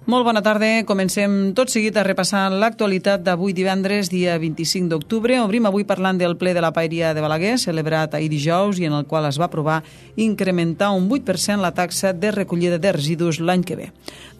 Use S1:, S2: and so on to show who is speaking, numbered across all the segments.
S1: Molt bona tarda. Comencem tot seguit a repassar l'actualitat d'avui divendres, dia 25 d'octubre. Obrim avui parlant del ple de la Paeria de Balaguer, celebrat ahir dijous i en el qual es va aprovar incrementar un 8% la taxa de recollida de residus l'any que ve.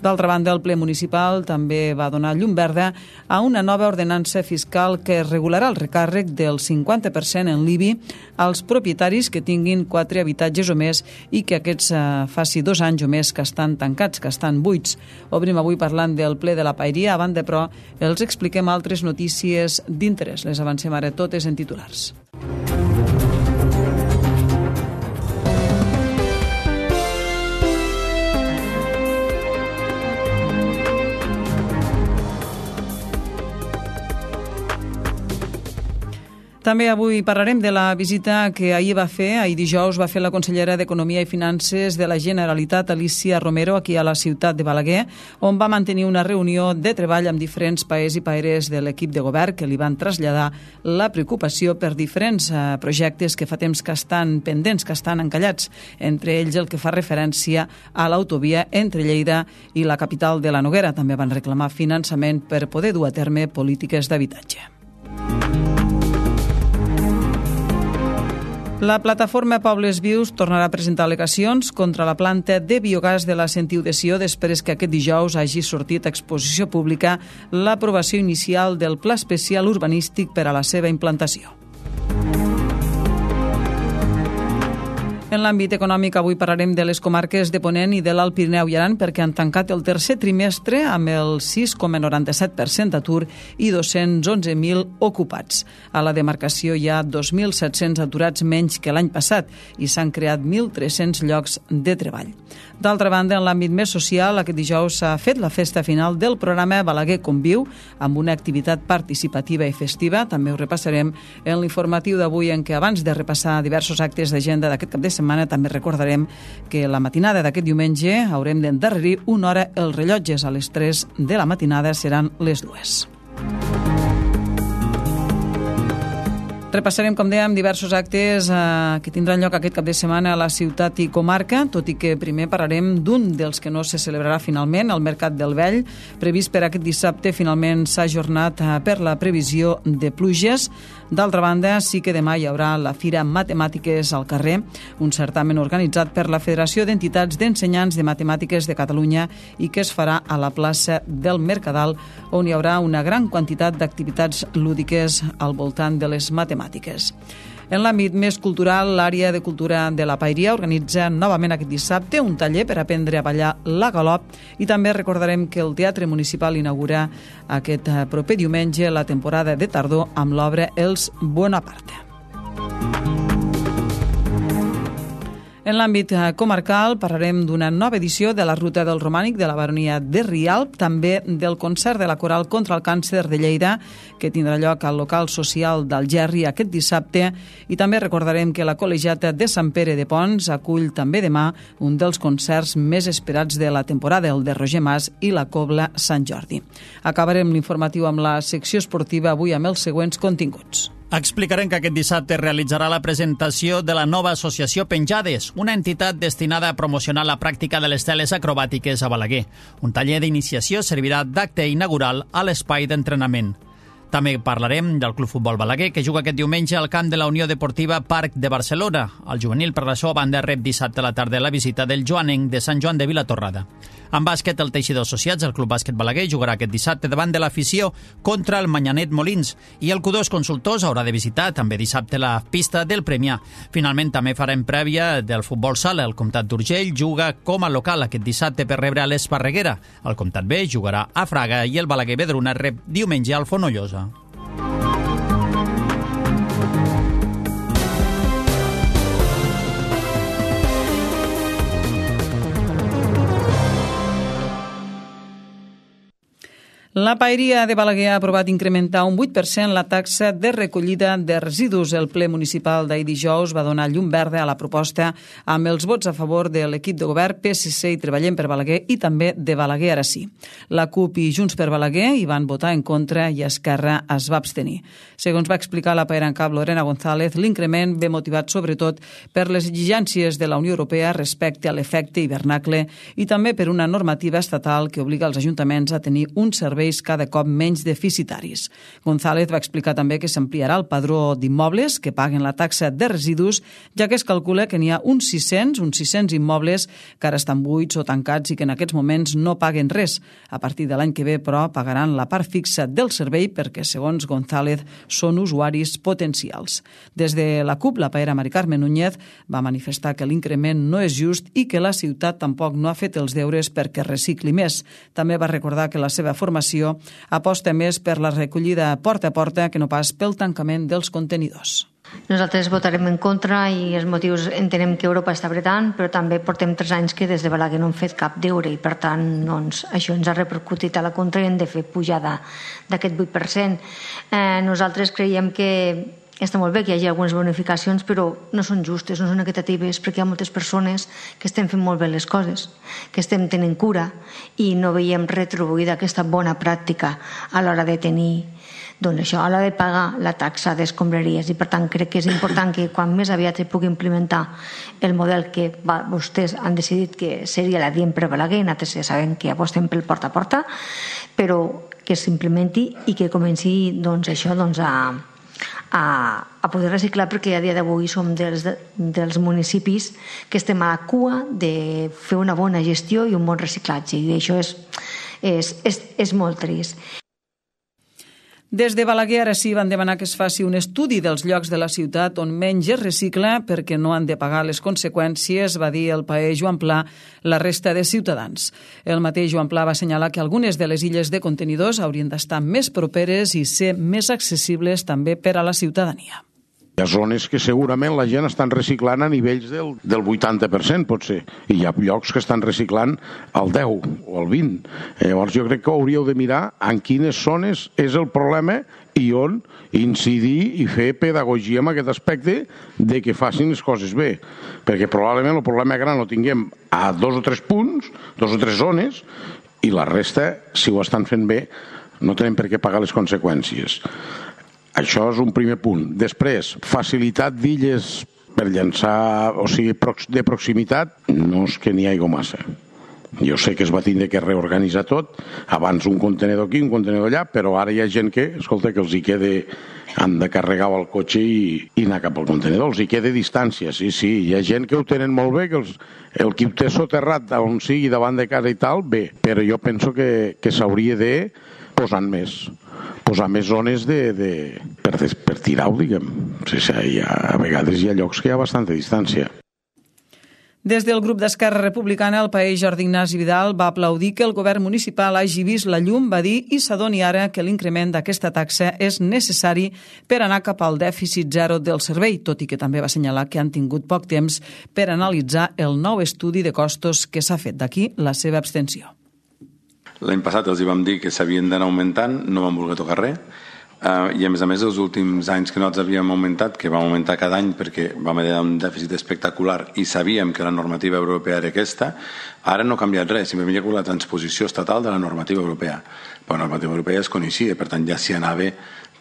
S1: D'altra banda, el ple municipal també va donar llum verda a una nova ordenança fiscal que regularà el recàrrec del 50% en l'IBI als propietaris que tinguin 4 habitatges o més i que aquests faci 2 anys o més que estan tancats, que estan buits. Obrim avui parlant del ple de la Paeria. A banda, però, els expliquem altres notícies d'interès. Les avancem ara totes en titulars. També avui parlarem de la visita que ahir dijous va fer la consellera d'Economia i Finances de la Generalitat, Alícia Romero, aquí a la ciutat de Balaguer, on va mantenir una reunió de treball amb diferents paers i paeres de l'equip de govern que li van traslladar la preocupació per diferents projectes que fa temps que estan pendents, que estan encallats, entre ells el que fa referència a l'autovia entre Lleida i la capital de la Noguera. També van reclamar finançament per poder dur a terme polítiques d'habitatge. La plataforma Pobles Vius tornarà a presentar al·legacions contra la planta de biogàs de la Sentiu de Sió després que aquest dijous hagi sortit a exposició pública l'aprovació inicial del Pla Especial Urbanístic per a la seva implantació. En l'àmbit econòmic, avui parlarem de les comarques de Ponent i de l'Alt Pirineu i Aran perquè han tancat el tercer trimestre amb el 6,97% d'atur i 211.000 ocupats. A la demarcació hi ha 2.700 aturats menys que l'any passat i s'han creat 1.300 llocs de treball. D'altra banda, en l'àmbit més social, aquest dijous s'ha fet la festa final del programa Balaguer Conviu amb una activitat participativa i festiva. També ho repassarem en l'informatiu d'avui, en què abans de repassar diversos actes d'agenda d'aquest cap de setmana també recordarem que la matinada d'aquest diumenge haurem d'endarrerir una hora els rellotges. A les 3 de la matinada seran les 2. Repassarem, com dèiem, diversos actes que tindran lloc aquest cap de setmana a la ciutat i comarca, tot i que primer parlarem d'un dels que no se celebrarà finalment, el Mercat del Vell, previst per aquest dissabte. Finalment s'ha ajornat per la previsió de pluges. D'altra banda, sí que demà hi haurà la Fira Matemàtiques al carrer, un certamen organitzat per la Federació d'Entitats d'Ensenyants de Matemàtiques de Catalunya i que es farà a la plaça del Mercadal, on hi haurà una gran quantitat d'activitats lúdiques al voltant de les matemàtiques. En l'àmbit més cultural, l'àrea de cultura de la Paeria organitza novament aquest dissabte un taller per aprendre a ballar la galop i també recordarem que el Teatre Municipal inaugura aquest proper diumenge la temporada de tardor amb l'obra Els Bonaparte. En l'àmbit comarcal parlarem d'una nova edició de la Ruta del Romànic de la Baronia de Rialb, també del concert de la Coral contra el Càncer de Lleida, que tindrà lloc al local social d'Algerri aquest dissabte, i també recordarem que la Col·legiata de Sant Pere de Pons acull també demà un dels concerts més esperats de la temporada, el de Roger Mas i la Cobla Sant Jordi. Acabarem l'informatiu amb la secció esportiva avui amb els següents continguts.
S2: Explicarem que aquest dissabte realitzarà la presentació de la nova associació Penjades, una entitat destinada a promocionar la pràctica de les teles acrobàtiques a Balaguer. Un taller d'iniciació servirà d'acte inaugural a l'espai d'entrenament. També parlarem del Club Futbol Balaguer, que juga aquest diumenge al camp de la Unió Deportiva Parc de Barcelona. El juvenil, per la seva banda, rep dissabte a la tarda la visita del joanenc de Sant Joan de Vilatorrada. En bàsquet, el Teixidor Associats, el Club Bàsquet Balaguer, jugarà aquest dissabte davant de l'afició contra el Manyanet Molins, i el Q2 Consultors haurà de visitar també dissabte la pista del Premià. Finalment, també farem prèvia del futbol sala. El Comtat d'Urgell juga com a local aquest dissabte per rebre a l'Esparreguera. El Comtat B jugarà a Fraga i el Balaguer Vedruna rep diumenge al Fonollosa.
S1: La Paeria de Balaguer ha aprovat incrementar un 8% la taxa de recollida de residus. El ple municipal d'ahir dijous va donar llum verda a la proposta amb els vots a favor de l'equip de govern PSC i Treballem per Balaguer i també de Balaguer ara sí. La CUP i Junts per Balaguer hi van votar en contra i Esquerra es va abstenir. Segons va explicar la paera en cap Lorena González, l'increment ve motivat sobretot per les exigències de la Unió Europea respecte a l'efecte hivernacle i també per una normativa estatal que obliga els ajuntaments a tenir un servei cada cop menys deficitaris. González va explicar també que s'ampliarà el padró d'immobles que paguen la taxa de residus, ja que es calcula que n'hi ha uns 600 immobles que ara estan buits o tancats i que en aquests moments no paguen res. A partir de l'any que ve, però, pagaran la part fixa del servei perquè, segons González, són usuaris potencials. Des de la CUP, la paera Mari Carme Núñez va manifestar que l'increment no és just i que la ciutat tampoc no ha fet els deures perquè recicli més. També va recordar que la seva formació aposta més per la recollida porta a porta que no pas pel tancament dels contenidors.
S3: Nosaltres votarem en contra i els motius entenem que Europa està apretant, però també portem 3 anys que des de Balaguer no hem fet cap deure i per tant doncs, això ens ha repercutit a la contra i hem de fer pujada d'aquest 8%. Nosaltres creiem que està molt bé que hi hagi algunes bonificacions, però no són justes, no són equitatives, perquè hi ha moltes persones que estem fent molt bé les coses, que estem tenint cura i no veiem retribuïda aquesta bona pràctica a l'hora de tenir, doncs això, a l'hora de pagar la taxa d'escombraries. I per tant crec que és important que quan més aviat es pugui implementar el model que vostès han decidit que seria la Diem per Balaguer, nosaltres ja sabem que apostem pel porta a porta, però que s'implementi i que comenci doncs, això doncs, a poder reciclar, perquè a dia d'avui som dels municipis que estem a la cua de fer una bona gestió i un bon reciclatge, i això és molt trist.
S1: Des de Balaguer ara sí van demanar que es faci un estudi dels llocs de la ciutat on menys es recicla perquè no han de pagar les conseqüències, va dir el paer Joan Pla, la resta de ciutadans. El mateix Joan Pla va assenyalar que algunes de les illes de contenidors haurien d'estar més properes i ser més accessibles també per a la ciutadania.
S4: Hi ha zones que segurament la gent estan reciclant a nivells del 80%, potser, i hi ha llocs que estan reciclant al 10 o al 20. Llavors jo crec que hauríeu de mirar en quines zones és el problema i on incidir i fer pedagogia en aquest aspecte de que facin les coses bé. Perquè probablement el problema gran lo tinguem a 2 o 3 punts, 2 o 3 zones, i la resta, si ho estan fent bé, no tenen per què pagar les conseqüències. Això és un primer punt. Després, facilitat d'illes per llançar, o sigui, de proximitat, no és que n'hi hagi massa. Jo sé que es va tindre que reorganitzar tot, abans un contenedor aquí, un contenedor allà, però ara hi ha gent que, escolta, que els hi queda, han de carregar el cotxe i anar cap al contenedor, els hi queda distància, sí, hi ha gent que ho tenen molt bé, que el qui ho té soterrat on sigui davant de casa i tal, bé, però jo penso que s'hauria de posar més zones per tirar-ho, diguem. A vegades hi ha llocs que hi ha bastanta distància.
S1: Des del grup d'Esquerra Republicana, el paer Jordi Ignasi Vidal va aplaudir que el govern municipal hagi vist la llum, va dir, i s'adoni ara que l'increment d'aquesta taxa és necessari per anar cap al dèficit zero del servei, tot i que també va assenyalar que han tingut poc temps per analitzar el nou estudi de costos que s'ha fet. D'aquí la seva abstenció.
S5: L'any passat els hi vam dir que s'havien d'anar augmentant, no vam voler tocar res, i a més els últims anys que nosaltres havíem augmentat, que vam augmentar cada any perquè vam haver un dèficit espectacular i sabíem que la normativa europea era aquesta, ara no ha canviat res, simplement hi ha hagut la transposició estatal de la normativa europea. Però la normativa europea es coneixia, per tant ja s'hi anava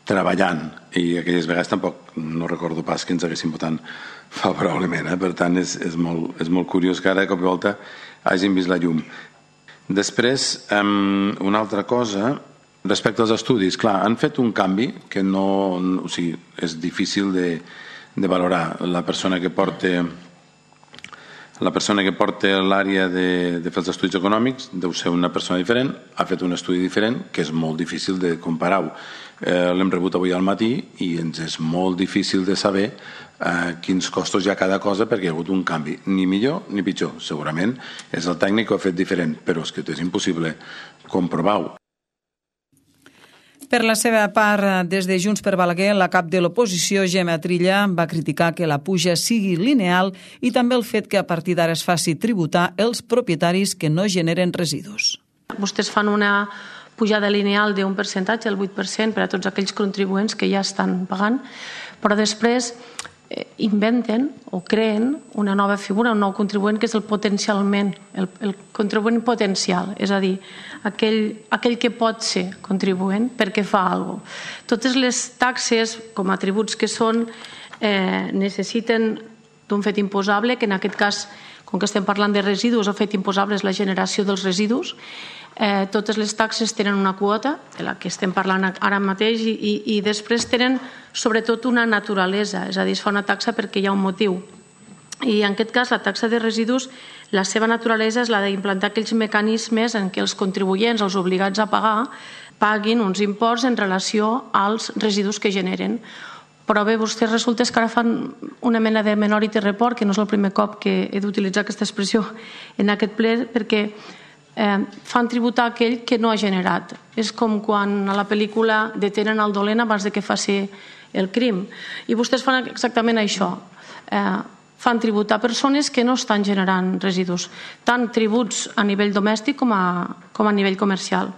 S5: treballant, i aquelles vegades tampoc no recordo pas que ens haguessin votat favorablement, per tant és molt curiós que ara de cop i volta hagin vist la llum. Després, una altra cosa, respecte als estudis, clar, han fet un canvi que és difícil de valorar. La persona que porta l'àrea de fer els estudis econòmics deu ser una persona diferent, ha fet un estudi diferent, que és molt difícil de comparar-ho. L'hem rebut avui al matí i ens és molt difícil de saber quins costos hi ha cada cosa perquè hi ha hagut un canvi, ni millor ni pitjor. Segurament és el tècnic que ho ha fet diferent, però és que és impossible comprovar-ho.
S1: Per la seva part, des de Junts per Balaguer, la cap de l'oposició, Gemma Trilla, va criticar que la puja sigui lineal i també el fet que a partir d'ara es faci tributar els propietaris que no generen residus.
S6: Vostès fan una pujada lineal d'un percentatge, el 8%, per a tots aquells contribuents que ja estan pagant, però després inventen o creen una nova figura, un nou contribuent, que és el potencialment, el contribuent potencial, és a dir, aquell que pot ser contribuent perquè fa alguna cosa. Totes les taxes, com a tributs que són, necessiten d'un fet imposable, que en aquest cas, com que estem parlant de residus, el fet imposable és la generació dels residus. Totes les taxes tenen una quota, de la que estem parlant ara mateix, i després tenen sobretot una naturalesa, és a dir, es fa una taxa perquè hi ha un motiu. I en aquest cas, la taxa de residus, la seva naturalesa és la d'implantar aquells mecanismes en què els contribuents, els obligats a pagar, paguin uns imports en relació als residus que generen. Però bé, vostès resulta que ara fan una mena de minority report, que no és el primer cop que he d'utilitzar aquesta expressió en aquest ple, perquè fan tributar aquell que no ha generat. És com quan a la pel·lícula detenen el dolent abans que faci el crim. I vostès fan exactament això. Fan tributar persones que no estan generant residus, tant tributs a nivell domèstic com a nivell comercial.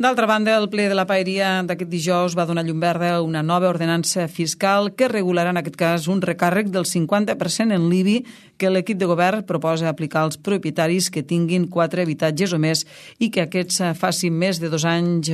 S1: D'altra banda, el ple de la Paeria d'aquest dijous va donar llum verda a una nova ordenança fiscal que regularà en aquest cas un recàrrec del 50% en l'IBI que l'equip de govern proposa aplicar als propietaris que tinguin 4 habitatges o més i que aquests facin més de 2 anys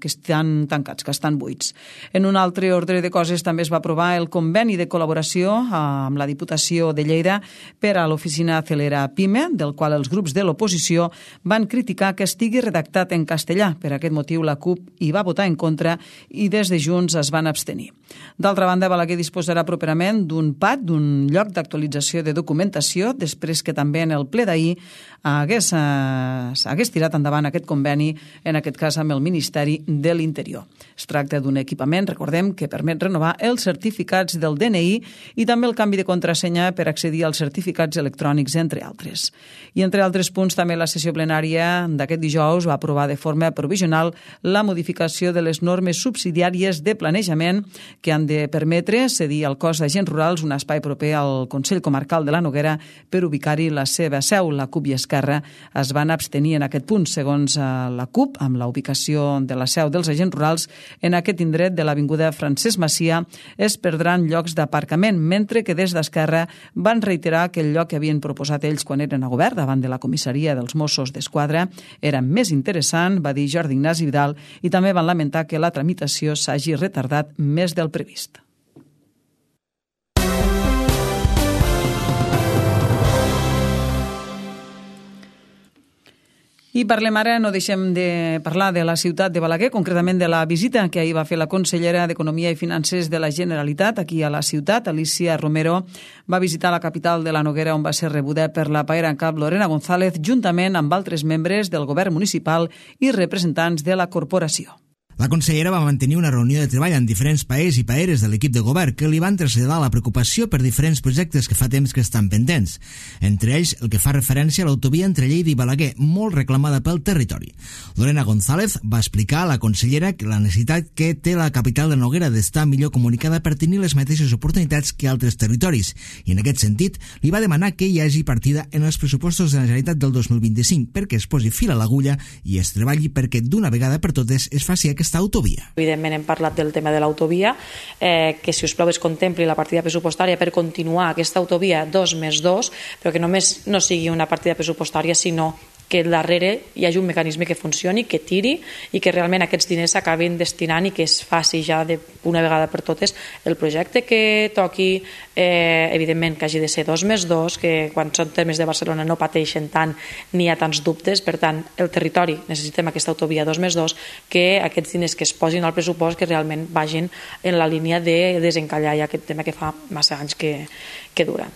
S1: que estan tancats, que estan buits. En un altre ordre de coses també es va aprovar el conveni de col·laboració amb la Diputació de Lleida per a l'oficina Celera PIME, del qual els grups de l'oposició van criticar que estigui redactat en castellà. Per aquest motiu la CUP hi va votar en contra i des de Junts es van abstenir. D'altra banda, Balaguer disposarà properament d'un PAT, d'un lloc d'actualització de documentació, després que també en el ple d'ahir hagués tirat endavant aquest conveni, en aquest cas amb el Ministeri de l'Interior. Es tracta d'un equipament, recordem, que permet renovar els certificats del DNI i també el canvi de contrasenya per accedir als certificats electrònics, entre altres. I entre altres punts, també la sessió plenària d'aquest dijous va aprovar de forma provisional la modificació de les normes subsidiàries de planejament que han de permetre cedir al cos d'agents rurals un espai proper al Consell Comarcal de la Noguera per ubicar-hi la seva seu. La CUP i Esquerra es van abstenir en aquest punt. Segons la CUP, amb la ubicació de la seu dels agents rurals en aquest indret de l'avinguda Francesc Macià es perdran llocs d'aparcament, mentre que des d'Esquerra van reiterar que el lloc que havien proposat ells quan eren a govern davant de la comissaria dels Mossos d'Esquadra era més interessant, va dir Jordi Ignasi Vidal, i també van lamentar que la tramitació s'hagi retardat més del previst. I parlem ara, no deixem de parlar de la ciutat de Balaguer, concretament de la visita que ahir va fer la consellera d'Economia i Finances de la Generalitat aquí a la ciutat. Alicia Romero va visitar la capital de la Noguera, on va ser rebuda per la paera en cap Lorena González, juntament amb altres membres del govern municipal i representants de la corporació.
S7: La consellera va mantenir una reunió de treball amb diferents paers i paeres de l'equip de govern que li van traslladar la preocupació per diferents projectes que fa temps que estan pendents. Entre ells, el que fa referència a l'autovia entre Lleida i Balaguer, molt reclamada pel territori. Lorena González va explicar a la consellera que la necessitat que té la capital de Noguera d'estar millor comunicada per tenir les mateixes oportunitats que altres territoris. I en aquest sentit, li va demanar que hi hagi partida en els pressupostos de la Generalitat del 2025 perquè es posi fil a l'agulla i es treballi perquè d'una vegada per totes es faci aquesta autovia.
S8: Evidentment hem parlat del tema de l'autovia, que si us plau es contempli la partida pressupostària per continuar aquesta autovia 2+2, però que només no sigui una partida pressupostària, sinó que darrere hi hagi un mecanisme que funcioni, que tiri i que realment aquests diners s'acabin destinant i que es faci ja d'una vegada per totes el projecte que toqui, evidentment que hagi de ser 2+2, que quan són termes de Barcelona no pateixen tant ni hi ha tants dubtes, per tant el territori necessitem aquesta autovia 2+2, que aquests diners que es posin al pressupost que realment vagin en la línia de desencallar ja aquest tema que fa massa anys que dura.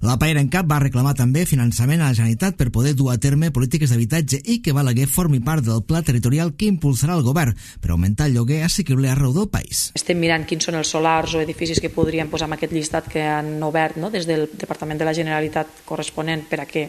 S7: La paera en cap va reclamar també finançament a la Generalitat per poder dur a terme polítiques d'habitatge i que Balaguer formi part del pla territorial que impulsarà el govern per augmentar el lloguer assequible arreu del país.
S8: Estem mirant quins són els solars o edificis que podríem posar en aquest llistat que han obert des del Departament de la Generalitat corresponent per a què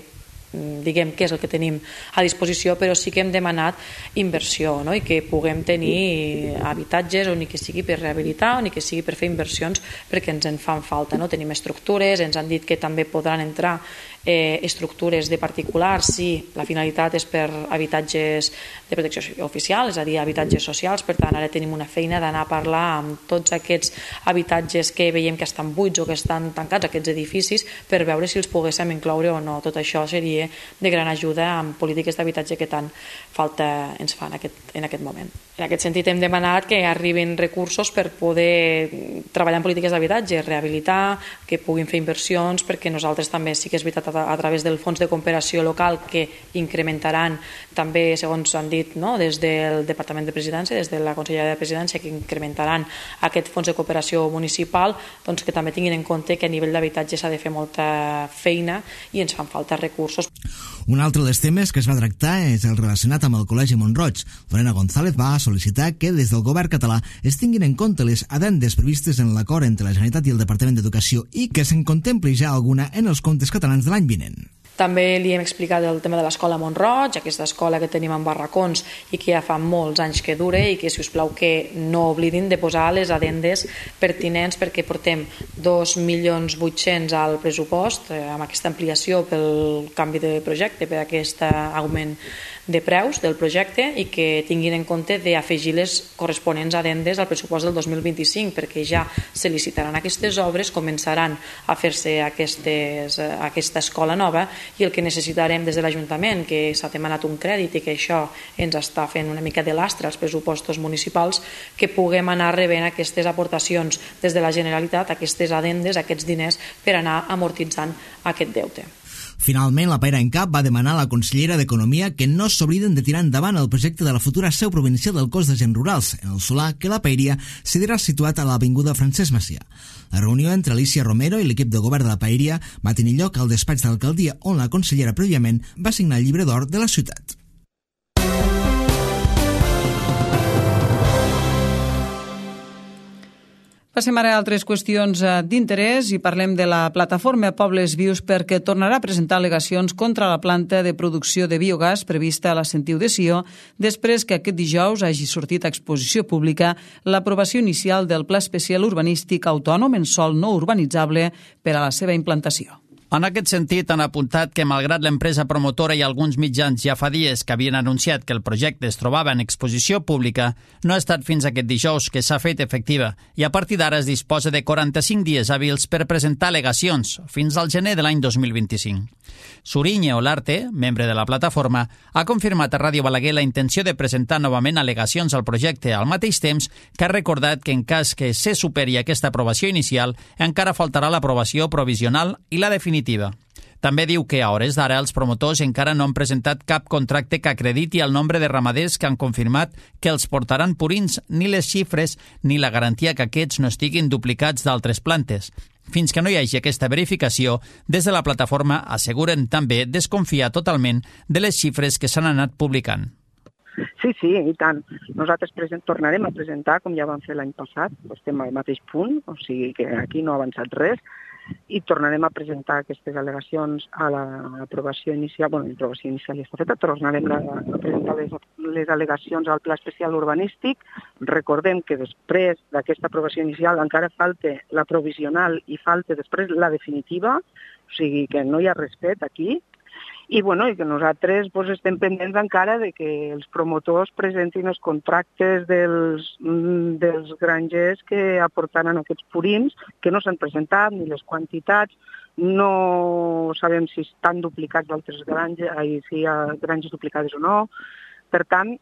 S8: diguem què és el que tenim a disposició, però sí que hem demanat inversió, i que puguem tenir habitatges o ni que sigui per rehabilitar o ni que sigui per fer inversions perquè ens en fan falta. Tenim estructures, ens han dit que també podran entrar estructures de particulars si la finalitat és per habitatges de protecció oficial, és a dir, habitatges socials. Per tant, ara tenim una feina d'anar a parlar amb tots aquests habitatges que veiem que estan buits o que estan tancats, aquests edificis, per veure si els poguéssim incloure o no. Tot això seria de gran ajuda amb polítiques d'habitatge que tant falta ens fa en aquest moment. En aquest sentit hem demanat que arribin recursos per poder treballar en polítiques d'habitatge, rehabilitar, que puguin fer inversions, perquè nosaltres també sí que és veritat a través del fons de cooperació local que incrementaran també, segons han dit, des del Departament de Presidència, des de la Conselleria de Presidència, que incrementaran aquest fons de cooperació municipal, doncs que també tinguin en compte que a nivell d'habitatge s'ha de fer molta feina i ens fan falta recursos.
S7: Un altre dels temes que es va tractar és el relacionat amb el Col·legi Mont-roig. Lorena González va sol·licitar que des del govern català es tinguin en compte les addendes previstes en l'acord entre la Generalitat i el Departament d'Educació i que se'n contempli ja alguna en els comptes catalans de l'any vinent.
S8: També li hem explicat el tema de l'escola Mont-roig, aquesta escola que tenim en barracons i que ja fa molts anys que dura i que, si us plau, que no oblidin de posar les addendes pertinents, perquè portem 2.800.000 al pressupost amb aquesta ampliació pel canvi de projecte, per aquest augment de preus del projecte, i que tinguin en compte d'afegir les corresponents addendes al pressupost del 2025, perquè ja se licitaran aquestes obres, començaran a fer-se aquesta escola nova, i el que necessitarem des de l'Ajuntament, que s'ha demanat un crèdit i que això ens està fent una mica de lastre als pressupostos municipals, que puguem anar rebent aquestes aportacions des de la Generalitat, aquestes addendes, aquests diners, per anar amortitzant aquest deute.
S7: Finalment, la Paera en Cap va demanar a la consellera d'Economia que no s'obliden de tirar endavant el projecte de la futura seu provincial del cos d'agents rurals, en el solar que la Paeria serà situat a l'avinguda Francesc Macià. La reunió entre Alicia Romero i l'equip de govern de la Paeria va tenir lloc al despatx de l'alcaldia, on la consellera prèviament va signar el llibre d'or de la ciutat.
S1: Passem ara a altres qüestions d'interès i parlem de la plataforma Pobles Vius, perquè tornarà a presentar al·legacions contra la planta de producció de biogàs prevista a la Sentiu de Sió, després que aquest dijous hagi sortit a exposició pública l'aprovació inicial del Pla Especial Urbanístic Autònom en sòl no urbanitzable per a la seva implantació.
S2: En aquest sentit, han apuntat que, malgrat l'empresa promotora i alguns mitjans ja fa dies que havien anunciat que el projecte es trobava en exposició pública, no ha estat fins aquest dijous que s'ha fet efectiva i a partir d'ara es disposa de 45 dies hàbils per presentar al·legacions, fins al gener de l'any 2025. Suriñe Olarte, membre de la plataforma, ha confirmat a Ràdio Balaguer la intenció de presentar novament al·legacions al projecte, al mateix temps que ha recordat que en cas que se superi aquesta aprovació inicial, encara faltarà l'aprovació provisional i la definitiva. També diu que a hores d'ara els promotors encara no han presentat cap contracte que acrediti el nombre de ramaders que han confirmat que els portaran purins, ni les xifres ni la garantia que aquests no estiguin duplicats d'altres plantes. Fins que no hi hagi aquesta verificació, des de la plataforma asseguren també desconfiar totalment de les xifres que s'han anat publicant.
S9: Sí, i tant. Nosaltres tornarem a presentar, com ja vam fer l'any passat, estem al mateix punt, o sigui que aquí no ha avançat res, i tornarem a presentar aquestes al·legacions a l'aprovació inicial. L'aprovació inicial ja està feta, tornarem a presentar les al·legacions al Pla Especial Urbanístic. Recordem que després d'aquesta aprovació inicial encara falta la provisional i falta després la definitiva, o sigui que no hi ha res fet aquí. I que nosaltres estem pendents encara de que els promotors presentin els contractes dels grangers que aportaran aquests purins, que no s'han presentat, ni les quantitats, no sabem si estan duplicats d'altres granges, si hi ha granges duplicades o no. Per tant,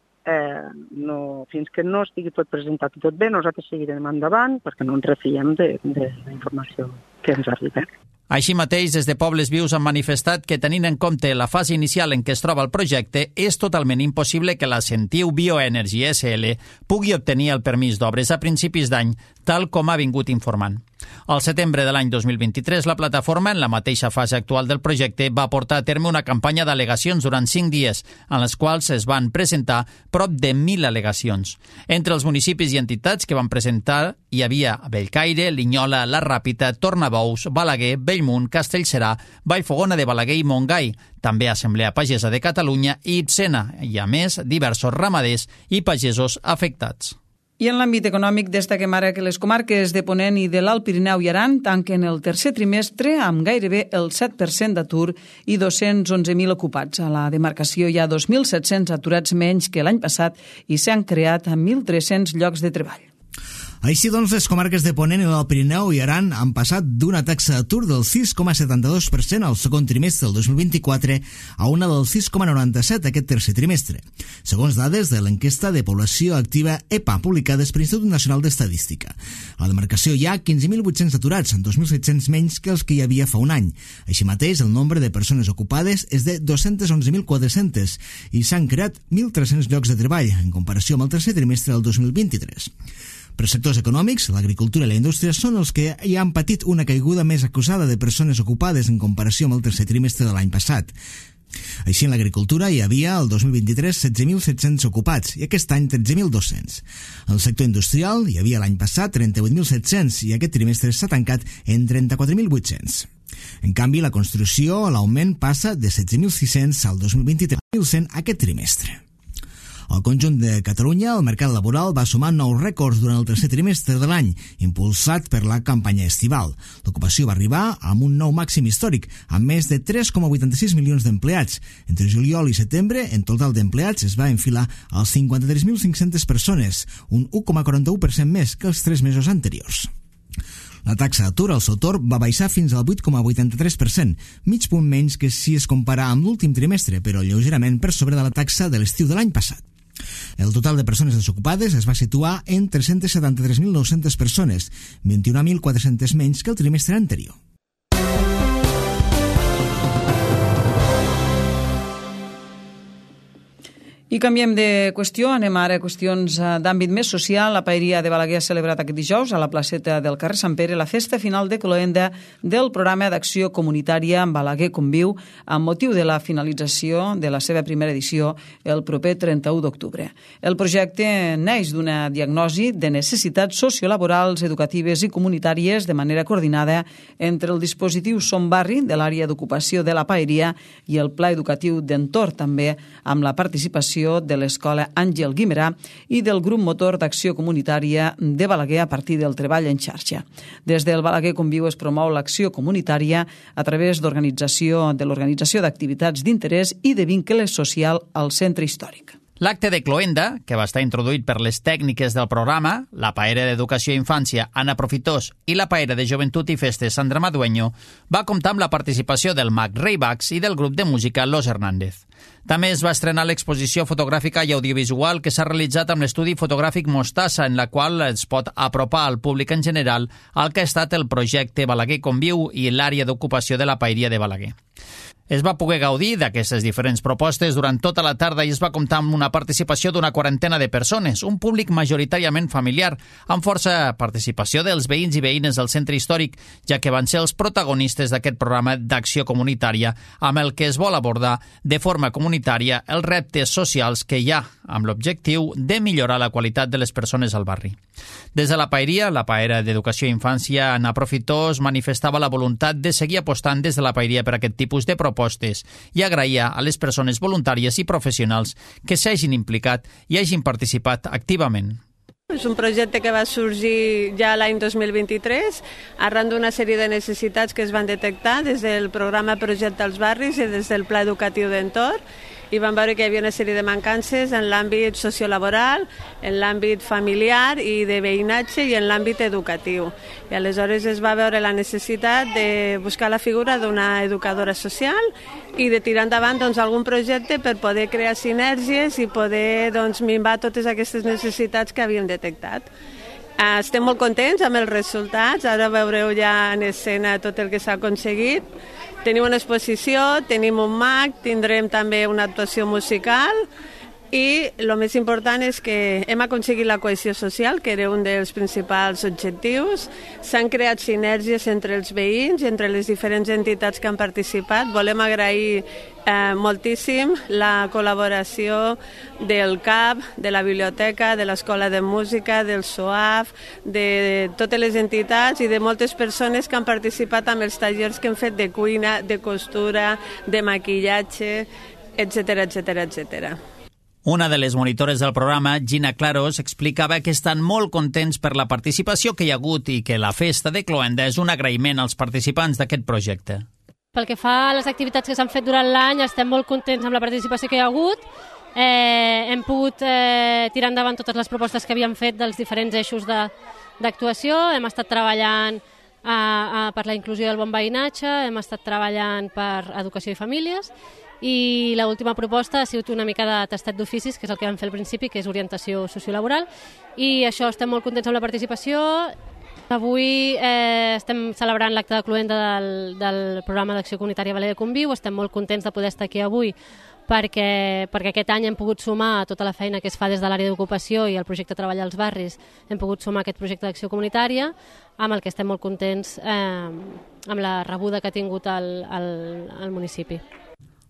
S9: fins que no estigui tot presentat i tot bé, nosaltres seguirem endavant perquè no ens refiem de la informació que ens arriba.
S2: Així mateix, des de Pobles Vius han manifestat que, tenint en compte la fase inicial en què es troba el projecte, és totalment impossible que la Sentiu Bioenergy SL pugui obtenir el permís d'obres a principis d'any, tal com ha vingut informant. Al setembre de l'any 2023, la plataforma, en la mateixa fase actual del projecte, va portar a terme una campanya d'al·legacions durant 5 dies, en les quals es van presentar prop de 1.000 al·legacions. Entre els municipis i entitats que van presentar hi havia Bellcaire, Linyola, La Ràpita, Tornabous, Balaguer, Bellmunt, Castellserà, Vallfogona de Balaguer i Montgai, també Assemblea Pagesa de Catalunya i Itzena, i a més diversos ramaders i pagesos afectats.
S1: I en l'àmbit econòmic destaquem ara que les comarques de Ponent i de l'Alt Pirineu i Aran tanquen el tercer trimestre amb gairebé el 7% d'atur i 211.000 ocupats. A la demarcació hi ha 2.700 aturats menys que l'any passat i s'han creat 1.300 llocs de treball.
S7: Així doncs, les comarques de Ponent i l'Alt Pirineu i Aran han passat d'una taxa d'atur del 6,72% al segon trimestre del 2024 a una del 6,97% aquest tercer trimestre, segons dades de l'enquesta de població activa EPA publicades per l'Institut Nacional d'Estadística. A la demarcació hi ha 15.800 aturats, 2.700 menys que els que hi havia fa un any. Així mateix, el nombre de persones ocupades és de 211.400 i s'han creat 1.300 llocs de treball, en comparació amb el tercer trimestre del 2023. Per sectors econòmics, l'agricultura i la indústria són els que hi han patit una caiguda més acusada de persones ocupades en comparació amb el tercer trimestre de l'any passat. Així, en l'agricultura hi havia el 2023 16.700 ocupats i aquest any 13.200. En el sector industrial hi havia l'any passat 38.700 i aquest trimestre s'ha tancat en 34.800. En canvi, la construcció, l'augment passa de 16.600 al 2023 a 1.100 aquest trimestre. Al conjunt de Catalunya, el mercat laboral va sumar nous rècords durant el tercer trimestre de l'any, impulsat per la campanya estival. L'ocupació va arribar amb un nou màxim històric, amb més de 3,86 milions d'empleats. Entre juliol i setembre, en total d'empleats es va enfilar als 53.500 persones, un 1,41% més que els 3 mesos anteriors. La taxa d'atur al seu torn va baixar fins al 8,83%, mig punt menys que si es compara amb l'últim trimestre, però lleugerament per sobre de la taxa de l'estiu de l'any passat. El total de persones desocupades es va situar en 373.900 persones, 21.400 menys que el trimestre anterior.
S1: I canviem de qüestió, anem ara a qüestions d'àmbit més social. La Paeria de Balaguer ha celebrat aquest dijous a la placeta del carrer Sant Pere la festa final de cloenda del programa d'acció comunitària Balaguer Conviu amb motiu de la finalització de la seva primera edició el proper 31 d'octubre. El projecte neix d'una diagnosi de necessitats sociolaborals, educatives i comunitàries de manera coordinada entre el dispositiu Som Barri de l'àrea d'ocupació de la Paeria i el Pla Educatiu d'Entorn, també amb la participació de l'Escola Àngel Guimerà i del Grup Motor d'Acció Comunitària de Balaguer a partir del treball en xarxa. Des del Balaguer Conviu es promou l'acció comunitària a través de l'organització d'activitats d'interès i de vincle social al centre històric.
S2: L'acte de cloenda, que va estar introduït per les tècniques del programa, la Paera d'Educació i Infància, Anna Profitós, i la Paera de Joventut i Festes, Sandra Madueño, va comptar amb la participació del mag Rei Bax i del grup de música Los Hernández. També es va estrenar l'exposició fotogràfica i audiovisual que s'ha realitzat amb l'estudi fotogràfic Mostassa, en la qual es pot apropar al públic en general al que ha estat el projecte Balaguer Conviu i l'àrea d'ocupació de la Paeria de Balaguer. Es va poder gaudir d'aquestes diferents propostes durant tota la tarda i es va comptar amb una participació d'una quarantena de persones, un públic majoritàriament familiar, amb força participació dels veïns i veïnes del centre històric, ja que van ser els protagonistes d'aquest programa d'acció comunitària amb el que es vol abordar de forma comunitària els reptes socials que hi ha, amb l'objectiu de millorar la qualitat de les persones al barri. Des de la Paeria, la Paera d'Educació i Infància, Anna Profitós, manifestava la voluntat de seguir apostant des de la Paeria per aquest tipus de propostes i agraïa a les persones voluntàries i professionals que s'hagin implicat i hagin participat activament.
S10: És un projecte que va sorgir ja l'any 2023 arran d'una sèrie de necessitats que es van detectar des del programa Projecte als Barris i des del Pla Educatiu d'Entorn, i vam veure que hi havia una sèrie de mancances en l'àmbit sociolaboral, en l'àmbit familiar i de veïnatge i en l'àmbit educatiu. I aleshores es va veure la necessitat de buscar la figura d'una educadora social i de tirar endavant algun projecte per poder crear sinergies i poder minvar totes aquestes necessitats que havíem detectat. Estem molt contents amb els resultats, ara veureu ja en escena tot el que s'ha aconseguit. Tenim una exposició, tenim un mag, tindrem també una actuació musical i el més important és que hem aconseguit la cohesió social, que era un dels principals objectius. S'han creat sinergies entre els veïns i entre les diferents entitats que han participat. Volem agrair moltíssim la col·laboració del CAP, de la biblioteca, de l'Escola de Música, del SOAF, de totes les entitats i de moltes persones que han participat amb els tallers que hem fet de cuina, de costura, de maquillatge, etc.
S2: Una de les monitores del programa, Gina Claros, explicava que estan molt contents per la participació que hi ha hagut i que la festa de Cloenda és un agraïment als participants d'aquest projecte.
S11: Pel que fa a les activitats que s'han fet durant l'any, estem molt contents amb la participació que hi ha hagut. Hem pogut tirar endavant totes les propostes que havíem fet dels diferents eixos d'actuació. Hem estat treballant per la inclusió del bon veïnatge, hem estat treballant per educació i famílies, i l'última proposta ha sigut una mica de tastet d'oficis, que és el que vam fer al principi, que és orientació sociolaboral, i això estem molt contents amb la participació. Avui estem celebrant l'acte de cloenda del programa d'acció comunitària Balaguer Conviu. Estem molt contents de poder estar aquí avui perquè aquest any hem pogut sumar a tota la feina que es fa des de l'àrea d'ocupació i el projecte Treballar als Barris, hem pogut sumar aquest projecte d'acció comunitària, amb el que estem molt contents amb la rebuda que ha tingut el municipi.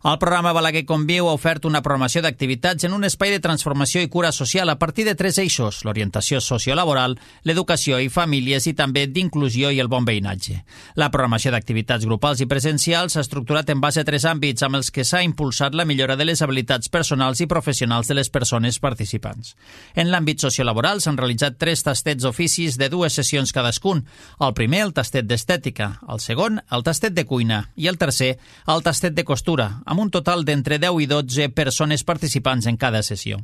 S2: El programa Balaguer Conviu ha ofert una programació d'activitats en un espai de transformació i cura social a partir de 3 eixos: l'orientació sociolaboral, l'educació i famílies i també d'inclusió i el bon veïnatge. La programació d'activitats grupals i presencials s'ha estructurat en base a 3 àmbits amb els que s'ha impulsat la millora de les habilitats personals i professionals de les persones participants. En l'àmbit sociolaboral s'han realitzat 3 tastets d'oficis de 2 sessions cadascun. El primer, el tastet d'estètica, el segon, el tastet de cuina i el tercer, el tastet de costura, amb un total d'entre 10 i 12 persones participants en cada sessió.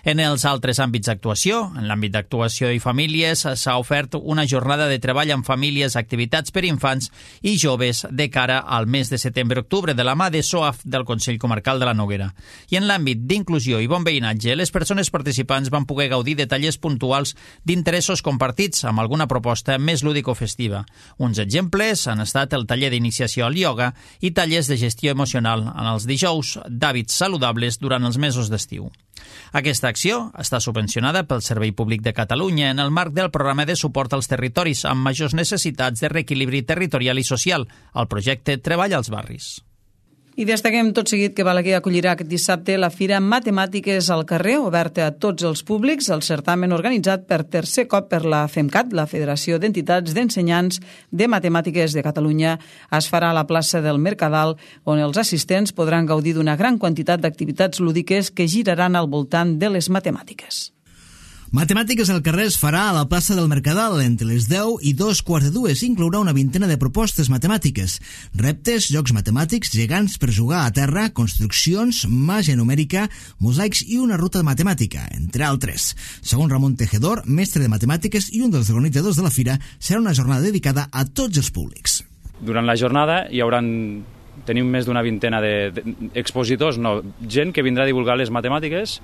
S2: En els altres àmbits d'actuació, en l'àmbit d'actuació i famílies, s'ha ofert una jornada de treball amb famílies, activitats per infants i joves de cara al mes de setembre-octubre de la mà de SOAF del Consell Comarcal de la Noguera. I en l'àmbit d'inclusió i bon veïnatge, les persones participants van poder gaudir de tallers puntuals d'interessos compartits amb alguna proposta més lúdico-festiva. Uns exemples han estat el taller d'iniciació al ioga i tallers de gestió emocional en els dijous d'hàbits saludables durant els mesos d'estiu. Aquesta acció està subvencionada pel Servei Públic de Catalunya en el marc del programa de suport als territoris amb majors necessitats de reequilibri territorial i social, el projecte Treball als Barris.
S1: I destaquem tot seguit que Balaguer acollirà aquest dissabte la Fira Matemàtiques al carrer, oberta a tots els públics, el certamen organitzat per tercer cop per la FEMCAT, la Federació d'Entitats d'Ensenyants de Matemàtiques de Catalunya. Es farà a la plaça del Mercadal, on els assistents podran gaudir d'una gran quantitat d'activitats lúdiques que giraran al voltant de les matemàtiques.
S7: Matemàtiques al carrer es farà a la plaça del Mercadal entre les 10 i 2:15. Inclourà una vintena de propostes matemàtiques, reptes, jocs matemàtics, gegants per jugar a terra, construccions, màgia numèrica, mosaics i una ruta matemàtica, entre altres. Segons Ramon Tejedor, mestre de matemàtiques i un dels organitzadors de la fira, serà una jornada dedicada a tots els públics.
S12: Durant la jornada tenim més d'una vintena d'expositors, gent que vindrà a divulgar les matemàtiques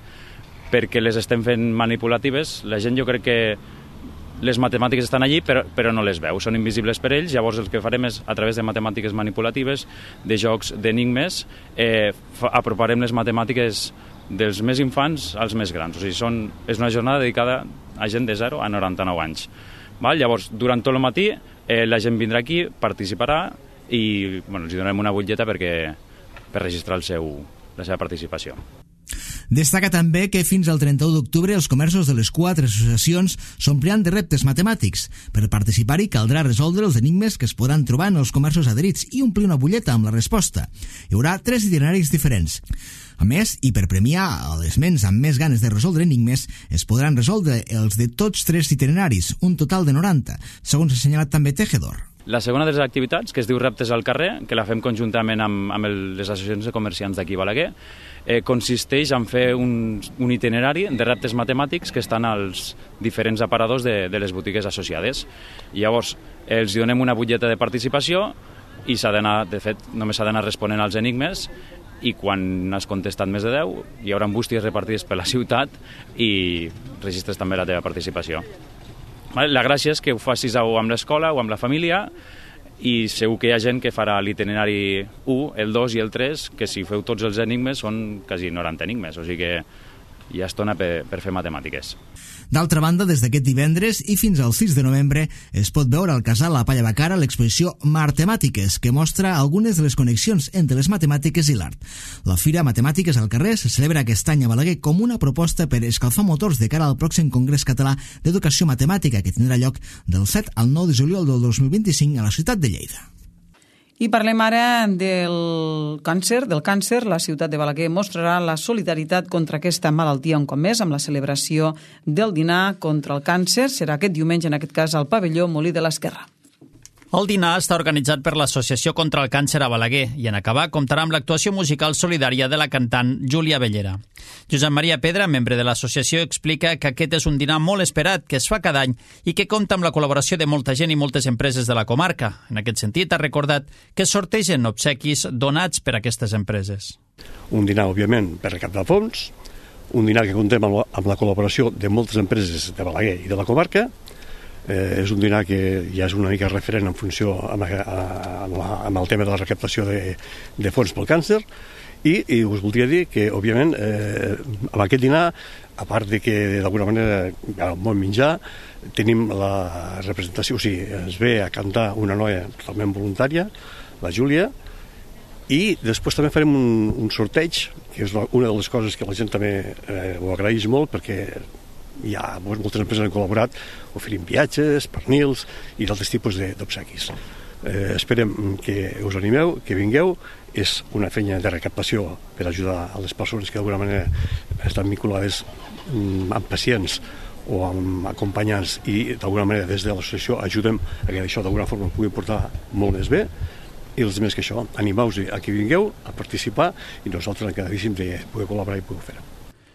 S12: perquè les estem fent manipulatives. La gent, jo crec que les matemàtiques estan allí però no les veu, són invisibles per ells. Llavors el que farem és, a través de matemàtiques manipulatives, de jocs d'enigmes, aproparem les matemàtiques dels més infants als més grans. O sigui, és una jornada dedicada a gent de 0 a 99 anys. Llavors, durant tot el matí la gent vindrà aquí, participarà i els donarem una butlleta per registrar la seva participació.
S7: Destaca també que fins al 31 d'octubre els comerços de les 4 associacions s'ompliran de reptes matemàtics. Per participar-hi caldrà resoldre els enigmes que es podran trobar en els comerços adherits i omplir una butlleta amb la resposta. Hi haurà 3 itineraris diferents. A més, i per premiar a les ments amb més ganes de resoldre enigmes, es podran resoldre els de tots 3 itineraris, un total de 90, segons ha assenyalat també Tejedor.
S12: La segona de les activitats, que es diu Reptes al carrer, que la fem conjuntament amb les associacions de comerciants d'aquí a Balaguer, consisteix en fer un itinerari de reptes matemàtics que estan als diferents aparadors de les botigues associades. Llavors, els donem una butlleta de participació i de fet, només s'ha d'anar responent als enigmes, i quan has contestat més de 10 hi haurà bústies repartides per la ciutat i registres també la teva participació. La gràcia és que ho facis o amb l'escola o amb la família, i segur que hi ha gent que farà l'itinerari 1, el 2 i el 3, que si feu tots els enigmes són quasi 90 enigmes, o sigui que hi ha estona per fer matemàtiques.
S7: D'altra banda, des d'aquest divendres i fins al 6 de novembre es pot veure al Casal La Palla Bacara l'exposició Martemàtiques, que mostra algunes de les connexions entre les matemàtiques i l'art. La Fira Matemàtiques al carrer se celebra aquest any a Balaguer com una proposta per escalfar motors de cara al pròxim Congrés Català d'Educació Matemàtica, que tindrà lloc del 7 al 9 de juliol del 2025 a la ciutat de Lleida.
S1: I parlem ara del càncer. La ciutat de Balaguer mostrarà la solidaritat contra aquesta malaltia un cop més amb la celebració del dinar contra el càncer. Serà aquest diumenge, en aquest cas, al pavelló Molí de l'Esquerra.
S2: El dinar està organitzat per l'Associació contra el Càncer a Balaguer i en acabar comptarà amb l'actuació musical solidària de la cantant Júlia Bellera. Josep Maria Pedra, membre de l'associació, explica que aquest és un dinar molt esperat que es fa cada any i que compta amb la col·laboració de molta gent i moltes empreses de la comarca. En aquest sentit, ha recordat que sortegen obsequis donats per aquestes empreses.
S13: Un dinar, òbviament, per recaptar fons, un dinar que comptem amb la col·laboració de moltes empreses de Balaguer i de la comarca. És un dinar que ja és una mica referent en funció amb el tema de la recaptació de fons pel càncer i us voldria dir que, òbviament, amb aquest dinar, a part de que d'alguna manera el bon menjar, tenim la representació, o sigui, ens ve a cantar una noia totalment voluntària, la Júlia, i després també farem un sorteig, que és una de les coses que la gent també ho agraeix molt, perquè hi ha moltes empreses que han col·laborat oferint viatges, pernils i d'altres tipus d'obsequis. Esperem que us animeu, que vingueu. És una feina de recaptació per ajudar a les persones que d'alguna manera estan vinculades amb pacients o amb acompanyants i d'alguna manera des de l'associació ajudem a que això d'alguna forma pugui portar molt més bé. I els més que això, animeu-vos a que vingueu a participar i nosaltres encantadíssims de poder col·laborar i poder fer-ho.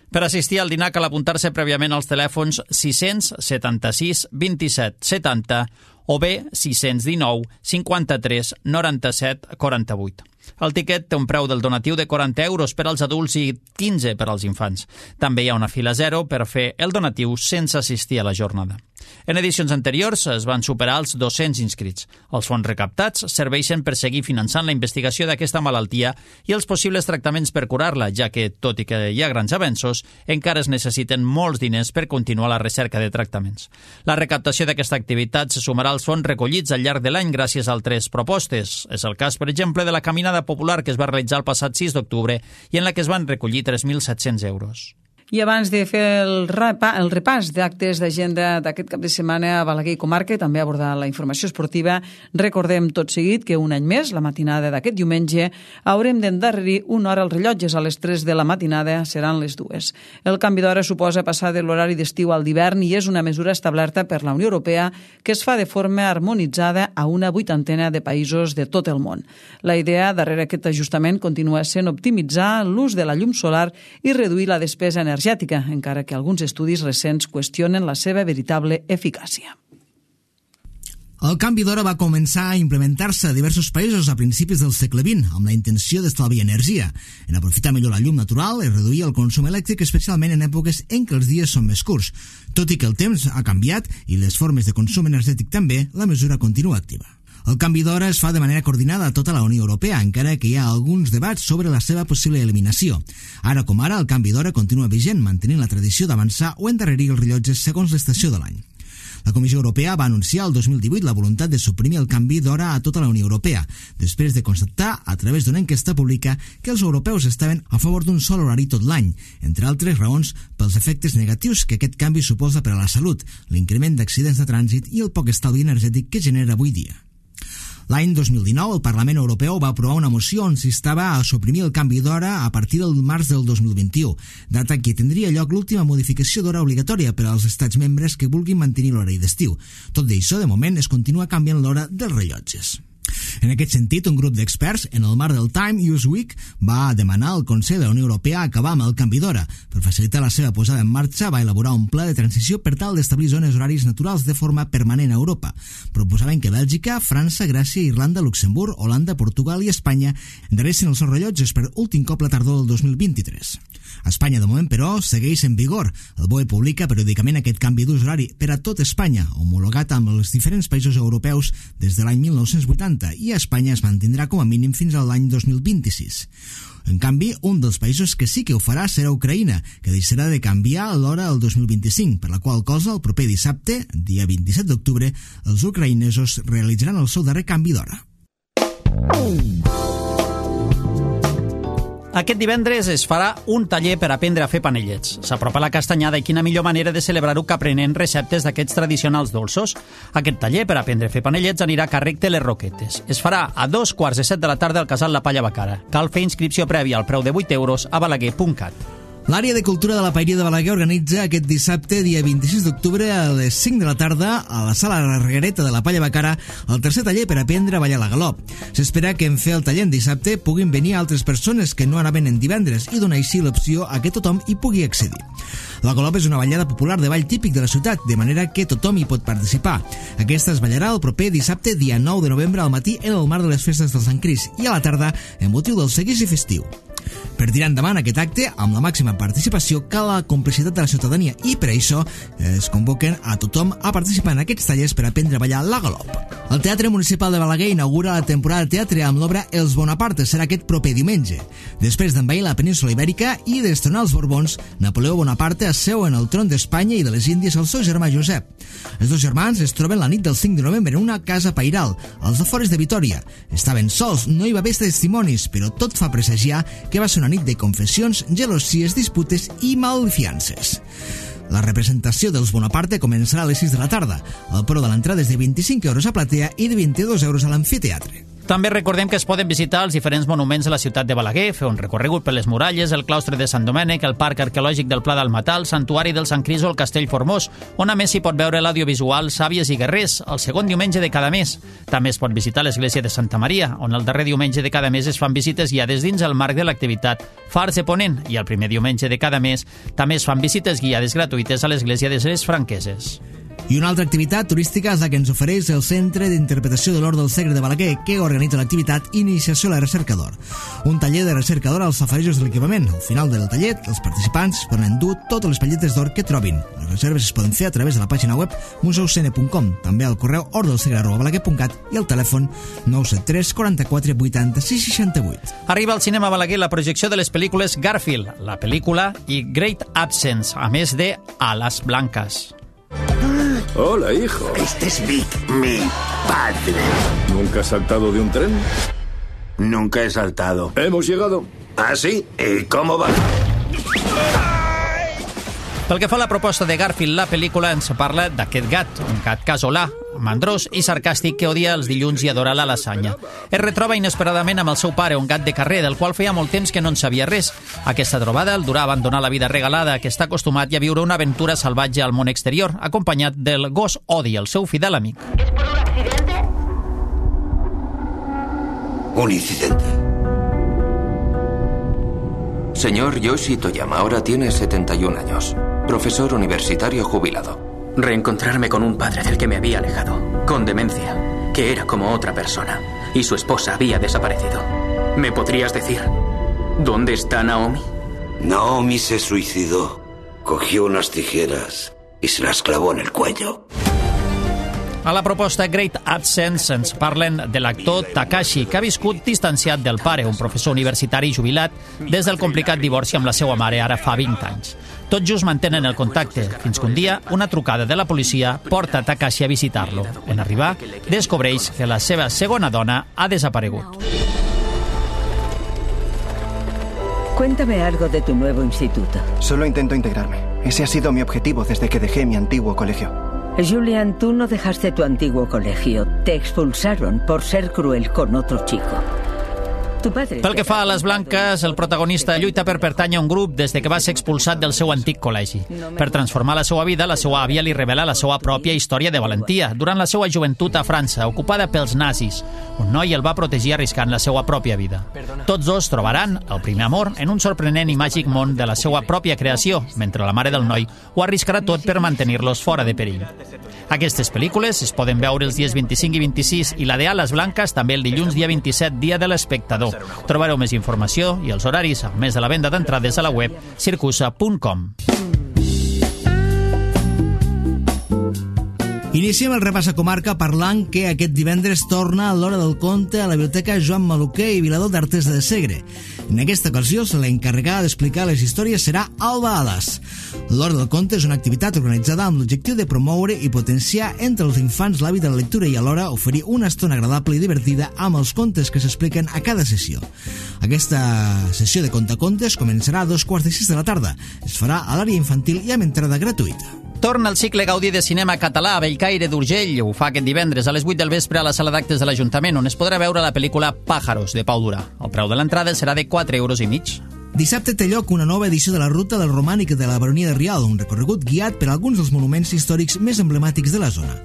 S2: Per assistir al dinar cal apuntar-se prèviament als telèfons 676 27 70 o bé 619 53 97 48. El tiquet té un preu del donatiu de 40 euros per als adults i 15 per als infants. També hi ha una fila zero per fer el donatiu sense assistir a la jornada. En edicions anteriors es van superar els 200 inscrits. Els fons recaptats serveixen per seguir finançant la investigació d'aquesta malaltia i els possibles tractaments per curar-la, ja que, tot i que hi ha grans avenços, encara es necessiten molts diners per continuar la recerca de tractaments. La recaptació d'aquesta activitat se sumarà als fons recollits al llarg de l'any gràcies a altres propostes. És el cas, per exemple, de la caminada popular que es va realitzar el passat 6 d'octubre i en la que es van recollir 3.700 euros.
S1: I abans de fer el repàs d'actes d'agenda d'aquest cap de setmana a Balaguer i comarca, també abordar la informació esportiva, recordem tot seguit que un any més, la matinada d'aquest diumenge, haurem d'endarrerir una hora als rellotges. A les 3 de la matinada seran les 2. El canvi d'hora suposa passar de l'horari d'estiu al d'hivern i és una mesura establerta per la Unió Europea que es fa de forma harmonitzada a una 80ena de països de tot el món. La idea darrere aquest ajustament continua sent optimitzar l'ús de la llum solar i reduir la despesa energètica, encara que alguns estudis recents qüestionen la seva veritable eficàcia.
S7: El canvi d'hora va començar a implementar-se a diversos països a principis del segle XX amb la intenció d'estalviar energia, en aprofitar millor la llum natural i reduir el consum elèctric, especialment en èpoques en què els dies són més curts. Tot i que el temps ha canviat i les formes de consum energètic també, la mesura continua activa. El canvi d'hora es fa de manera coordinada a tota la Unió Europea, encara que hi ha alguns debats sobre la seva possible eliminació. Ara com ara, el canvi d'hora continua vigent, mantenint la tradició d'avançar o endarrerir els rellotges segons l'estació de l'any. La Comissió Europea va anunciar el 2018 la voluntat de suprimir el canvi d'hora a tota la Unió Europea, després de constatar, a través d'una enquesta pública, que els europeus estaven a favor d'un sol horari tot l'any, entre altres raons pels efectes negatius que aquest canvi suposa per a la salut, l'increment d'accidents de trànsit i el poc estalvi energètic que genera avui dia. L'any 2019, el Parlament Europeu va aprovar una moció on s'instava a suprimir el canvi d'hora a partir del març del 2021, data en què tindria lloc l'última modificació d'hora obligatòria per als estats membres que vulguin mantenir l'horari d'estiu. Tot d'això, de moment, es continua canviant l'hora dels rellotges. En aquest sentit, un grup d'experts, en el marc del Time Use Week, va demanar al Consell de la Unió Europea acabar amb el canvi d'hora. Per facilitar la seva posada en marxa, va elaborar un pla de transició per tal d'establir zones horaris naturals de forma permanent a Europa. Proposaven que Bèlgica, França, Grècia, Irlanda, Luxemburg, Holanda, Portugal i Espanya endaressin els seus rellotges per últim cop la tardor del 2023. A Espanya, de moment, però, segueix en vigor. El BOE publica periòdicament aquest canvi d'ús horari per a tot Espanya, homologat amb els diferents països europeus des de l'any 1980, i a Espanya es mantindrà com a mínim fins a l'any 2026. En canvi, un dels països que sí que ho farà serà Ucraïna, que deixarà de canviar l'hora el 2025, per la qual cosa el proper dissabte, dia 27 d'octubre, els ucraïnesos realitzaran el seu darrer canvi d'hora.
S2: Aquest divendres es farà un taller per aprendre a fer panellets. S'apropa la castanyada i quina millor manera de celebrar-ho que aprenent receptes d'aquests tradicionals dolços. Aquest taller per aprendre a fer panellets anirà a càrrec de les Roquetes. Es farà a 2:15 de la tarda al Casal La Palla Bacara. Cal fer inscripció prèvia al preu de 8 euros a balaguer.cat.
S7: L'àrea de cultura de la Paeria de Balaguer organitza aquest dissabte, dia 26 d'octubre, a les 5 de la tarda, a la sala Reguereta de la Palla Bacara, el tercer taller per aprendre a ballar la galop. S'espera que en fer el taller en dissabte puguin venir altres persones que no anaven en divendres i donar així l'opció a que tothom hi pugui accedir. La galop és una ballada popular de ball típic de la ciutat, de manera que tothom hi pot participar. Aquesta es ballarà el proper dissabte, dia 9 de novembre, al matí en el marc de les festes del Sant Crist i a la tarda en motiu del seguici festiu. Per tirar endavant aquest acte, amb la màxima participació, cal la complicitat de la ciutadania i per això es convoquen a tothom a participar en aquests tallers per aprendre a ballar la galop. El Teatre Municipal de Balaguer inaugura la temporada de teatre amb l'obra Els Bonapartes. Serà aquest proper diumenge. Després d'envair la península Ibèrica i destronar els Borbons, Napoleó Bonaparte asseu en el tron d'Espanya i de les Índies el seu germà Josep. Els dos germans es troben la nit del 5 de novembre en una casa pairal, als afores de Vitòria. Estaven sols, no hi va haver testimonis, però tot fa presagiar que va ser una nit de confessions, gelosies, disputes i malfiances. La representació dels Bonaparte començarà a les 6 de la tarda. El preu de l'entrada és de 25 euros a platea i de 22 euros a l'amfiteatre.
S2: També recordem que es poden visitar els diferents monuments de la ciutat de Balaguer, fer un recorregut per les muralles, el claustre de Sant Domènec, el parc arqueològic del Pla del Matà, el santuari del Sant Crist o el Castell Formós, on a més s'hi pot veure l'audiovisual Sàvies i Guerrers, el segon diumenge de cada mes. També es pot visitar l'església de Santa Maria, on el darrer diumenge de cada mes es fan visites guiades dins el marc de l'activitat Fars de Ponent, i el primer diumenge de cada mes també es fan visites guiades gratuïtes a l'església de les Franqueses.
S7: I una altra activitat turística és la que ens ofereix el Centre d'Interpretació de l'Or del Segre de Balaguer, que organitza l'activitat Iniciació a la Recerca d'Or. Un taller de recerca d'or als safarejos de l'equipament. Al final del taller, els participants poden endur totes les palletes d'or que trobin. Les reserves es poden fer a través de la pàgina web museucene.com, també al correu ordelsegre@balaguer.cat i al telèfon 973 44 80 668.
S2: Arriba al cinema Balaguer la projecció de les pel·lícules Garfield, la pel·lícula i Great Absence, a més de Alas Blancas.
S14: Hola, hijo.
S15: Este es Vic, mi padre.
S14: ¿Nunca has saltado de un tren?
S15: Nunca he saltado.
S14: Hemos llegado.
S15: ¿Ah, sí? ¿Y cómo va?
S2: Pel que fa a la proposta de Garfield, la pel·lícula ens parla d'aquest gat, un gat casolà, mandrós i sarcàstic que odia els dilluns i adora la lasanya. Es retroba inesperadament amb el seu pare, un gat de carrer, del qual feia molt temps que no en sabia res. Aquesta trobada el durà a abandonar la vida regalada, que està acostumat, i a viure una aventura salvatge al món exterior, acompanyat del gos Odi, el seu fidel amic.
S15: ¿Es por un accidente? Un incidente. Señor Yoshi Toyama, ahora tiene 71 años. Profesor universitario jubilado.
S16: Reencontrarme con un padre del que me había alejado, con demencia, que era como otra persona, y su esposa había desaparecido. ¿Me podrías decir dónde está Naomi?
S15: Naomi se suicidó. Cogió unas tijeras y se las clavó en el cuello.
S2: A la proposta Great Absence ens parlen de l'actor Takashi, que ha viscut distanciat del pare, un professor universitari jubilat, des del complicat divorci amb la seva mare ara fa 20 anys. Tot just mantenen el contacte, fins que un dia una trucada de la policia porta Takashi a visitar-lo. En arribar, descobreix que la seva segona dona ha desaparegut.
S17: Cuéntame algo de tu nuevo instituto.
S18: Solo intento integrarme. Ese ha sido mi objetivo desde que dejé mi antiguo colegio.
S17: Julian, tú no dejaste tu antiguo colegio. Te expulsaron por ser cruel con otro chico.
S2: Pel que fa a les Blanques, el protagonista lluita per pertànyer a un grup des de que va ser expulsat del seu antic col·legi. Per transformar la seva vida, la seva àvia li revela la seva pròpia història de valentia durant la seva joventut a França, ocupada pels nazis. Un noi el va protegir arriscant la seva pròpia vida. Tots dos trobaran el primer amor en un sorprenent i màgic món de la seva pròpia creació, mentre la mare del noi ho arriscarà tot per mantenir-los fora de perill. Aquestes pel·lícules es poden veure els dies 25 i 26 i la de Alas Blanques també el dilluns dia 27, dia de l'espectador. Trobareu més informació i els horaris, a més de la venda d'entrades a la web circusa.com.
S7: Iniciem el repàs a comarca parlant que aquest divendres torna l'Hora del Conte a la Biblioteca Joan Maluquer i Vilador d'Artesa de Segre. En aquesta ocasió, l'encarregada d'explicar les històries serà Alba Alas. L'Hora del Conte és una activitat organitzada amb l'objectiu de promoure i potenciar entre els infants l'hàbit de la lectura i alhora oferir una estona agradable i divertida amb els contes que s'expliquen a cada sessió. Aquesta sessió de contacontes començarà a 2:45 de la tarda. Es farà a l'àrea infantil i amb entrada gratuïta.
S2: Torna el cicle Gaudí de cinema català a Bellcaire d'Urgell. Ho fa aquest divendres a les 8 del vespre a la sala d'actes de l'Ajuntament, on es podrà veure la pel·lícula Pájaros, de Pau Durà. El preu de l'entrada serà de 4,5 €.
S7: Dissabte té lloc una nova edició de la Ruta del Romànic de la Baronia de Rialb, un recorregut guiat per alguns dels monuments històrics més emblemàtics de la zona.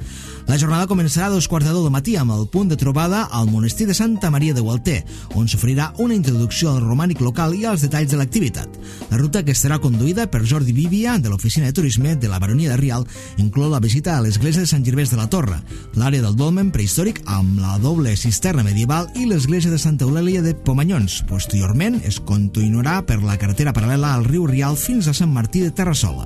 S7: La jornada començarà a 2:15 del matí amb el punt de trobada al monestir de Santa Maria de Gualter, on s'oferirà una introducció al romànic local i als detalls de l'activitat. La ruta, que estarà conduïda per Jordi Vivia, de l'Oficina de Turisme de la Baronia de Rialb, inclou la visita a l'església de Sant Gervers de la Torre, l'àrea del dolmen prehistòric amb la doble cisterna medieval i l'església de Santa Eulàlia de Pomanyons. Posteriorment es continuarà per la carretera paral·lela al riu Rialb fins a Sant Martí de Terrassola.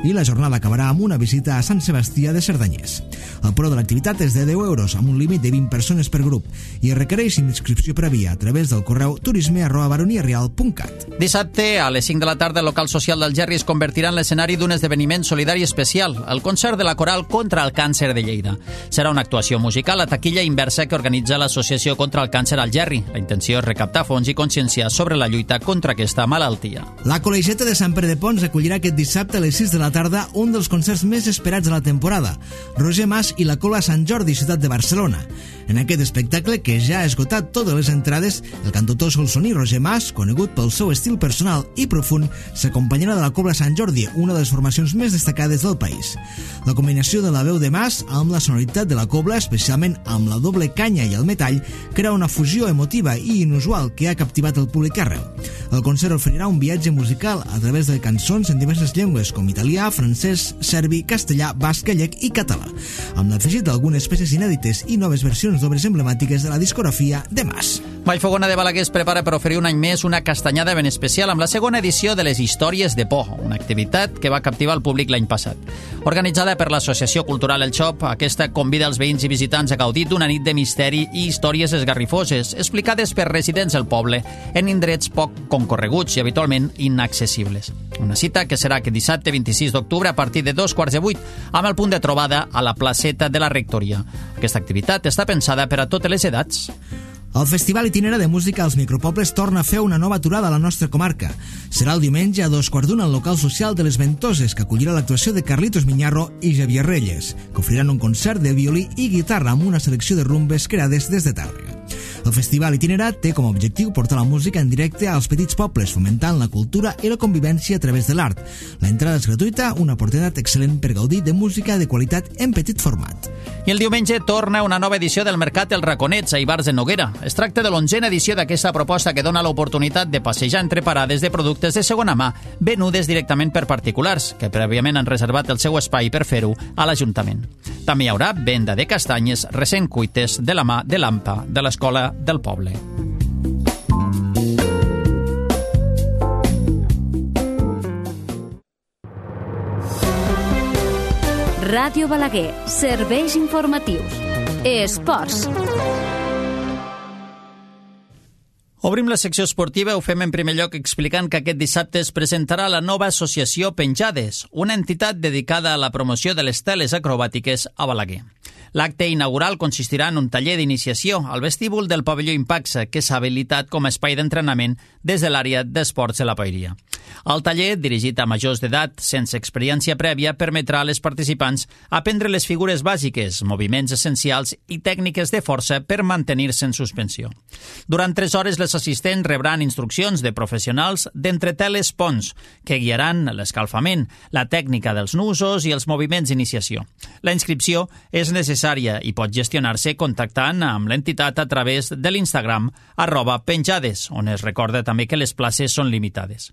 S7: I la jornada acabarà amb una visita a Sant Sebastià de Cerdanyers. El preu de l'activitat és de 10 € amb un límit de 20 persones per grup i requereix inscripció prèvia a través del correu turisme@baroniarial.cat.
S2: Dissabte, a les 5 de la tarda, el local social del Gerri es convertirà en l'escenari d'un esdeveniment solidari especial, el concert de la Coral contra el Càncer de Lleida. Serà una actuació musical a taquilla inversa que organitza l'Associació contra el Càncer al Gerri. La intenció és recaptar fons i conscienciar sobre la lluita contra aquesta malaltia.
S7: La Col·legiata de Sant Pere de Pons acollirà aquest dissabte a les 6 de la tarda un dels concerts més esperats de la temporada, Roger Mas i la Cola Sant Jordi, ciutat de Barcelona. En aquest espectacle, que ja ha esgotat totes les entrades, el cantautor solsoní Roger Mas, conegut pel seu estil personal i profund, s'acompanyarà de la Cobla Sant Jordi, una de les formacions més destacades del país. La combinació de la veu de Mas amb la sonoritat de la Cobla, especialment amb la doble canya i el metall, crea una fusió emotiva i inusual que ha captivat el públic arreu. El concert oferirà un viatge musical a través de cançons en diverses llengües, com italià, francès, serbi, castellà, basc, gallec i català, amb l'afegit d'algunes peces inèdites i noves versions d'obres emblemàtiques de la discografia de Mas.
S2: Vallfogona de Balaguer es prepara per oferir un any més una castanyada ben especial amb la segona edició de les Històries de Por, una activitat que va captivar el públic l'any passat. Organitzada per l'Associació Cultural El Xop, aquesta convida els veïns i visitants a gaudir d'una nit de misteri i històries esgarrifoses, explicades per residents del poble en indrets poc concorreguts i habitualment inaccessibles. Una cita que serà aquest dissabte 26 d'octubre a partir de 2:15 amb el punt de trobada a la placeta de la Rectoria. Aquesta activitat està pensada per a totes les edats.
S7: El Festival Itinerari de Música als Micropobles torna a fer una nova aturada a la nostra comarca. Serà el diumenge a 2:15 al local social de les Ventoses, que acollirà l'actuació de Carlitos Miñarro i Javier Reyes, que oferiran un concert de violí i guitarra amb una selecció de rumbes creades des de Tàrrega. El Festival Itinerat té com a objectiu portar la música en directe als petits pobles, fomentant la cultura i la convivència a través de l'art. L'entrada és gratuïta, una oportunitat excel·lent per gaudir de música de qualitat en petit format.
S2: I el diumenge torna una nova edició del Mercat Els Raconets a Ivars de Noguera. Es tracta de l'11a edició d'aquesta proposta que dona l'oportunitat de passejar entre parades de productes de segona mà venudes directament per particulars, que prèviament han reservat el seu espai per fer-ho a l'Ajuntament. També hi haurà venda de castanyes recent cuites de la mà de l'AMPA de l'Escola del Poble.
S19: Ràdio Balaguer, serveis informatius. Esports.
S2: Obrim la secció esportiva, ho fem en primer lloc explicant que aquest dissabte es presentarà la nova associació Penjades, una entitat dedicada a la promoció de les teles acrobàtiques a Balaguer. L'acte inaugural consistirà en un taller d'iniciació al vestíbul del pavelló Impaxa, que s'ha habilitat com a espai d'entrenament des de l'àrea d'esports de la Paeria. El taller, dirigit a majors d'edat sense experiència prèvia, permetrà a les participants aprendre les figures bàsiques, moviments essencials i tècniques de força per mantenir-se en suspensió. Durant 3 hores, les assistents rebran instruccions de professionals d'entreteles ponts, que guiaran l'escalfament, la tècnica dels nusos i els moviments d'iniciació. La inscripció és necessària i pot gestionar-se contactant amb l'entitat a través de l'Instagram @penjades, on es recorda també que les places són limitades.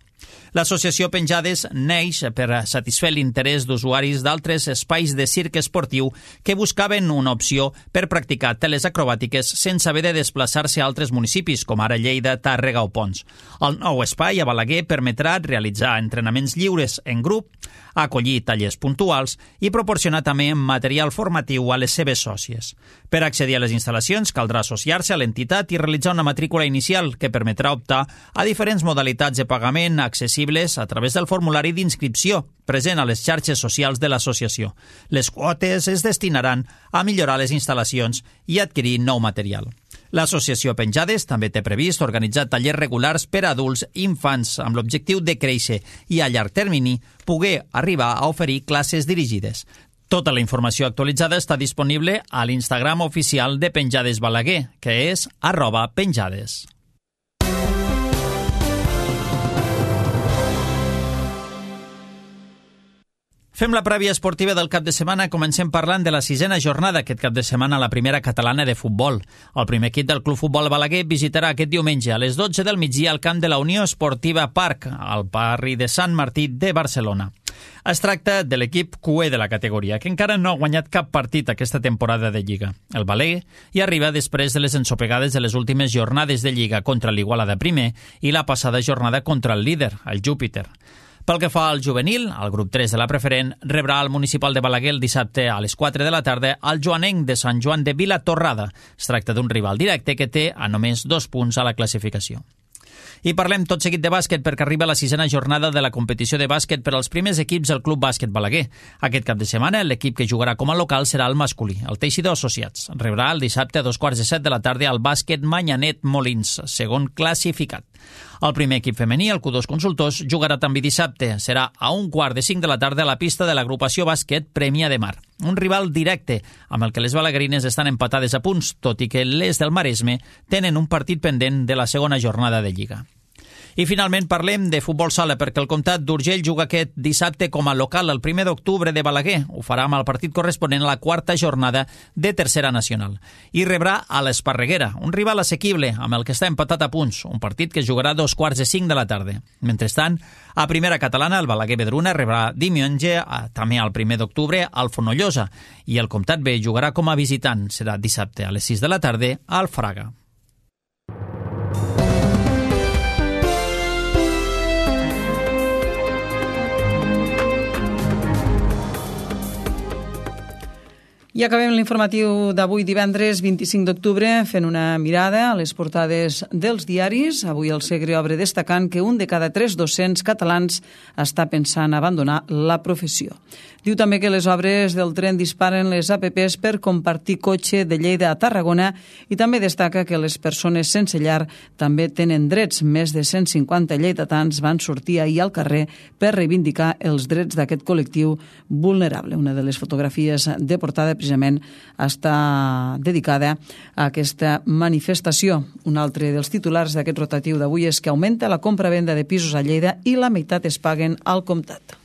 S2: L'associació Penjades neix per satisfer l'interès d'usuaris d'altres espais de circ esportiu que buscaven una opció per practicar teles acrobàtiques sense haver de desplaçar-se a altres municipis, com ara Lleida, Tàrrega o Pons. El nou espai a Balaguer permetrà realitzar entrenaments lliures en grup, acollir tallers puntuals i proporcionar també material formatiu a les seves sòcies. Per accedir a les instal·lacions caldrà associar-se a l'entitat i realitzar una matrícula inicial que permetrà optar a diferents modalitats de pagament accessibles a través del formulari d'inscripció present a les xarxes socials de l'associació. Les quotes es destinaran a millorar les instal·lacions i adquirir nou material. L'associació Penjades també té previst organitzar tallers regulars per a adults i infants amb l'objectiu de créixer i a llarg termini poder arribar a oferir classes dirigides. Tota la informació actualitzada està disponible a l'Instagram oficial de Penjades Balaguer, que és @penjades. Fem la prèvia esportiva del cap de setmana. Comencem parlant de la 6ª jornada aquest cap de setmana a la primera catalana de futbol. El primer equip del Club Futbol Balaguer visitarà aquest diumenge a les 12 del migdia al camp de la Unió Esportiva Parc, al barri de Sant Martí de Barcelona. Es tracta de l'equip cué de la categoria, que encara no ha guanyat cap partit aquesta temporada de Lliga. El Balaguer hi arriba després de les ensopegades de les últimes jornades de Lliga contra l'Igualada primer i la passada jornada contra el líder, el Júpiter. Pel que fa al juvenil, el grup 3 de la preferent rebrà al municipal de Balaguer el dissabte a les 4 de la tarda al joanenc de Sant Joan de Vilatorrada. Es tracta d'un rival directe que té a només 2 punts a la classificació. I parlem tot seguit de bàsquet perquè arriba la 6ª jornada de la competició de bàsquet per als primers equips del Club Bàsquet Balaguer. Aquest cap de setmana l'equip que jugarà com a local serà el masculí, el Teixidor Associats. Rebrà el dissabte a 2:15 de la tarda al Bàsquet Manyanet Molins, segon classificat. El primer equip femení, el Q2 Consultors, jugarà també dissabte. Serà a 1:45 de la tarda a la pista de l'agrupació bàsquet Premià de Mar. Un rival directe amb el que les balaguerines estan empatades a punts, tot i que les del Maresme tenen un partit pendent de la segona jornada de Lliga. I finalment parlem de futbol sala perquè el Comtat d'Urgell juga aquest dissabte com a local el 1 d'octubre de Balaguer. Ho farà amb el partit corresponent a la 4ª jornada de Tercera Nacional. I rebrà a l'Esparreguera, un rival assequible amb el que està empatat a punts, un partit que es jugarà a 2:45 de la tarda. Mentrestant, a Primera Catalana, el Balaguer Vedruna rebrà diumenge, també al 1 d'octubre, al Fonollosa, i el Comtat B jugarà com a visitant. Serà dissabte a les 6 de la tarda al Fraga.
S1: I acabem l'informatiu d'avui divendres 25 d'octubre fent una mirada a les portades dels diaris. Avui el Segre obre destacant que un de cada 3 docents catalans està pensant abandonar la professió. Diu també que les obres del tren disparen les APPs per compartir cotxe de Lleida a Tarragona i també destaca que les persones sense llar també tenen drets. Més de 150 lleidatans van sortir ahir al carrer per reivindicar els drets d'aquest col·lectiu vulnerable. Una de les fotografies de portada precisament està dedicada a aquesta manifestació. Un altre dels titulars d'aquest rotatiu d'avui és que augmenta la compra-venda de pisos a Lleida i la meitat es paguen al Comtat.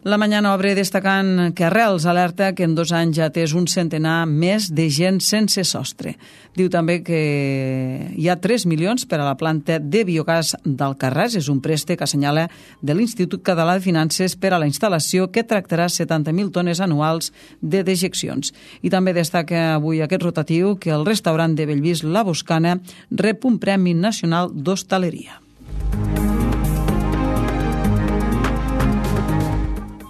S1: La Mañana obre destacant que Arrels alerta que en 2 anys ja té un centenar més de gent sense sostre. Diu també que hi ha 3 milions per a la planta de biogàs d'Alcarràs. És un préstec, assenyala, de l'Institut Català de Finances per a la instal·lació que tractarà 70.000 tones anuals de dejeccions. I també destaca avui aquest rotatiu que el restaurant de Bellvís La Boscana rep un Premi Nacional d'Hostaleria.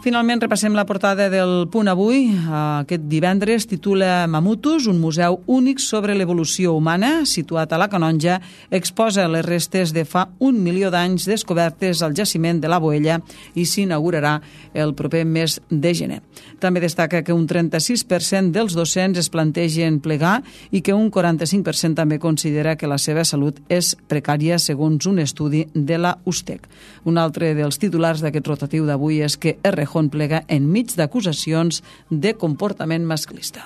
S1: Finalment repassem la portada del Punt Avui. Aquest divendres titula Mamutus, un museu únic sobre l'evolució humana, situat a la Canonja, exposa les restes de fa 1 milió d'anys descobertes al jaciment de la Boella i s'inaugurarà el proper mes de gener. També destaca que un 36% dels docents es plantegen plegar i que un 45% també considera que la seva salut és precària, segons un estudi de la USTEC. Un altre dels titulars d'aquest rotatiu d'avui és que Errejón plega enmig d'acusacions de comportament masclista.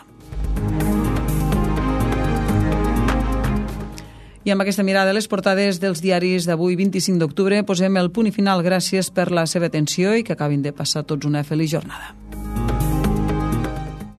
S1: I amb aquesta mirada a les portades dels diaris d'avui 25 d'octubre posem el punt i final. Gràcies per la seva atenció i que acabin de passar tots una feliç jornada.